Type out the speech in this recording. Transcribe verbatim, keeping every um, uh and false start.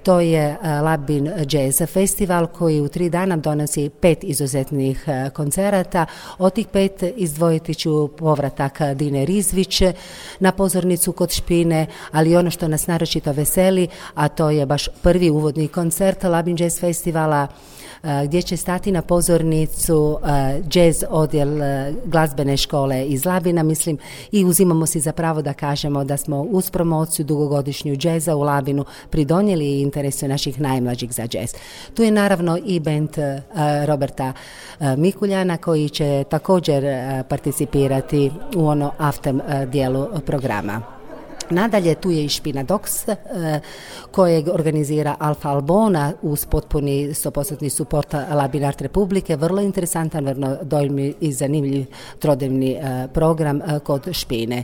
To je Labin Jazz Festival koji u tri dana donosi pet izuzetnih koncerata. Od tih pet izdvojiti ću povratak Dine Rizvić na pozornicu kod Špine, ali ono što nas naročito veseli, a to je baš prvi uvodni koncert Labin Jazz Festivala, gdje će stati na pozornicu jazz odjel glazbene škole iz Labina, mislim, i uzimamo si za pravo da kažemo da smo uz promociju dugogodišnju džeza u Labinu pridonijeli interesu naših najmlađih za džez. Tu je naravno i bend Roberta Mikuljana koji će također participirati u ono after dijelu programa. Nadalje, tu je i Špina Dox kojeg organizira Alfa Albona uz potpuni sto posto suport Labin Art Republike. Vrlo interesantan, vrlo dojmi i zanimljiv trodnevni program kod Špine.